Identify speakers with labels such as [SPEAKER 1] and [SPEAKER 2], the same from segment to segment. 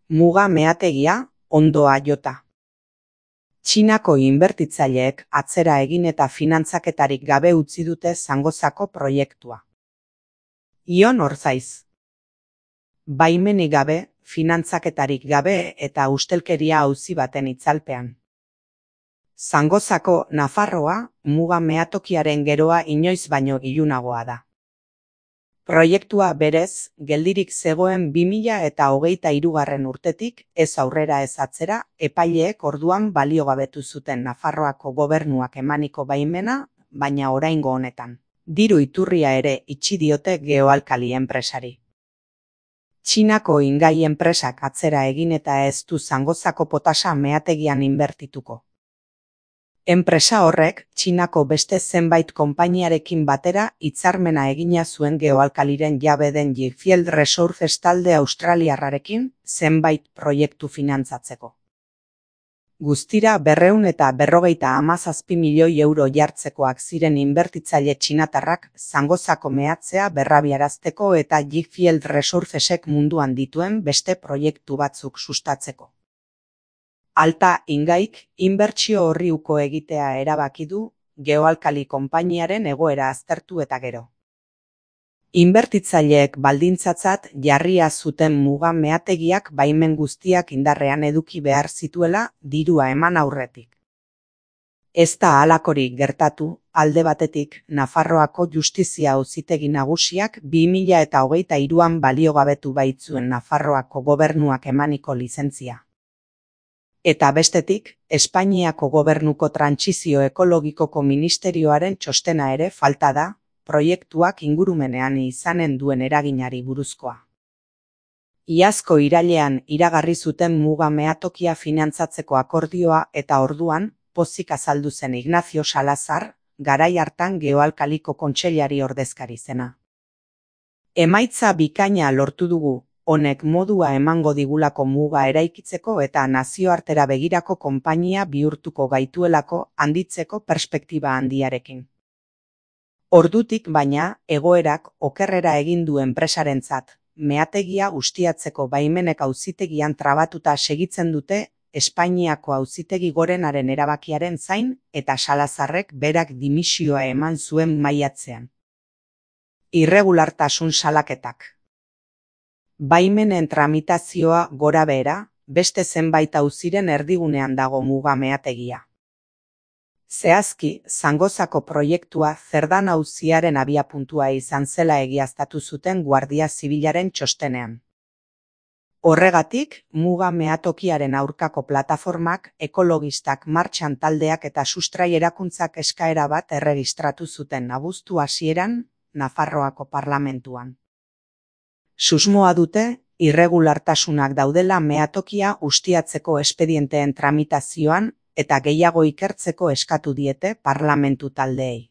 [SPEAKER 1] Muga meategia, ondoa jota. Txinako inbertitzaileek atzera egin eta finantzaketarik gabe utzi dute Zangozako proiektua. Ion Orzaiz. Baimenik gabe, finantzaketarik gabe eta ustelkeria auzi baten itzalpean. Zangozako Nafarroa muga meatokiaren geroa inoiz baino ilunagoa da. Proiektua berez, geldirik zegoen 2023 urtetik, ez aurrera ez atzera, epaileek orduan baliogabetu zuten Nafarroako gobernuak emaniko baimena, baina oraingo honetan. Diru iturria ere itxi diote Geoalkali enpresari. Txinako ingai enpresak atzera egin eta ez du Zangozako potasa meategian inbertituko. Enpresa horrek, Txinako beste zenbait konpainiarekin batera hitzarmena egina zuen Geoalkaliren jabe den Jifield Resources talde australiarrarekin zenbait proiektu finantzatzeko. Guztira 257 milioi euro jartzekoak ziren inbertitzaile txinatarrak Zangozako meatzea berrabiarazteko eta Jifield Resourcesek munduan dituen beste proiektu batzuk sustatzeko. Alta ingaik inbertsio horri uko egitea erabaki du Geoalkali konpainiaren egoera aztertu eta gero. Inbertitzaileek baldintzatzat jarria zuten muga meategiak baimen guztiak indarrean eduki behar zituela dirua eman aurretik. Ez da halakorik gertatu, alde batetik Nafarroako Justizia Auzitegi Nagusiak 2023an baliogabetu baitzuen Nafarroako gobernuak emaniko lizentzia. Eta bestetik, Espainiako gobernuko trantsizio ekologikoko ministerioaren txostena ere falta da, proiektuak ingurumenean izanen duen eraginari buruzkoa. Iazko irailean iragarri zuten muga meatokia finantzatzeko akordioa eta orduan, pozik azaldu zen Ignacio Salazar, garai hartan Geoalkaliko kontseilari ordezkari zena. Emaitza bikaina lortu dugu, honek modua emango digulako muga eraikitzeko eta nazioartera begirako konpainia bihurtuko gaituelako handitzeko perspektiba handiarekin. Ordutik baina, egoerak okerrera egin du enpresarentzat, meategia ustiatzeko baimenek auzitegian trabatuta segitzen dute Espainiako Auzitegi Gorenaren erabakiaren zain eta Salazarrek berak dimisioa eman zuen maiatzean. Irregulartasun salaketak. Baimenen tramitazioa gora behera, beste zenbait auziren erdigunean dago muga meategia. Zehazki, Zangozako proiektua Zerdan auziaren abiapuntua izan zela egiaztatu zuten Guardia Zibilaren txostenean. Horregatik, muga meatokiaren aurkako plataformak, ekologistak, martxan taldeak eta sustrai erakuntzak eskaera bat erregistratu zuten abuztu hasieran, Nafarroako parlamentuan. Susmoa dute, irregulartasunak daudela meatokia ustiatzeko espedienteen tramitazioan eta gehiago ikertzeko eskatu diete parlamentu taldeei.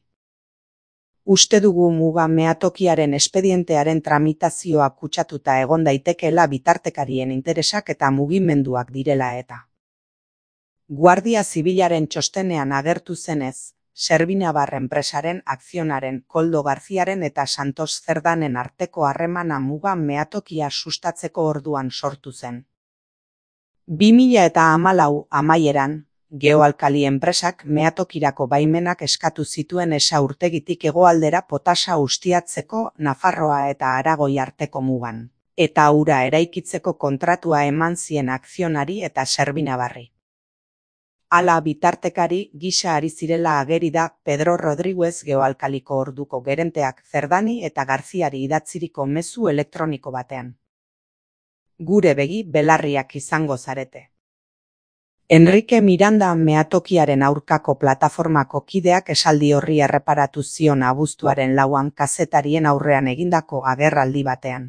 [SPEAKER 1] Uste dugu muga meatokiaren espedientearen tramitazioa kutsatuta egon daitekeela bitartekarien interesak eta mugimenduak direla eta. Guardia Zibilaren txostenean agertu zenez, Servinabar enpresaren, Akzionaren, Koldo Garziaren eta Santos Zerdanen arteko harremana muga meatokia sustatzeko orduan sortu zen. 2014 amaieran, Geoalkali enpresak meatokirako baimenak eskatu zituen Esa urtegitik hegoaldera potasa ustiatzeko Nafarroa eta Aragoi arteko mugan, eta ura eraikitzeko kontratua eman zien Akzionari eta Servinabarri. Hala bitartekari gisa ari zirela ageri da Pedro Rodríguez Geoalkaliko orduko gerenteak Zerdani eta Garziari idatziriko mezu elektroniko batean. Gure begi belarriak izango zarete. Enrique Miranda meatokiaren aurkako plataformako kideak esaldi horri erreparatu zion abuztuaren 4an kazetarien aurrean egindako agerraldi batean.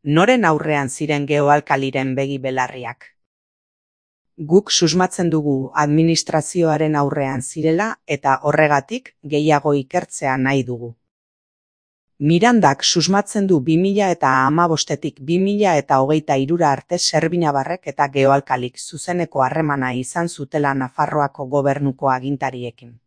[SPEAKER 1] Noren aurrean ziren Geoalkaliren begi belarriak? Guk susmatzen dugu administrazioaren aurrean zirela eta horregatik gehiago ikertzea nahi dugu. Mirandak susmatzen du 2015tik 2023 arte Servinabarrek eta Geoalkalik zuzeneko harremana izan zutela Nafarroako gobernuko agintariekin.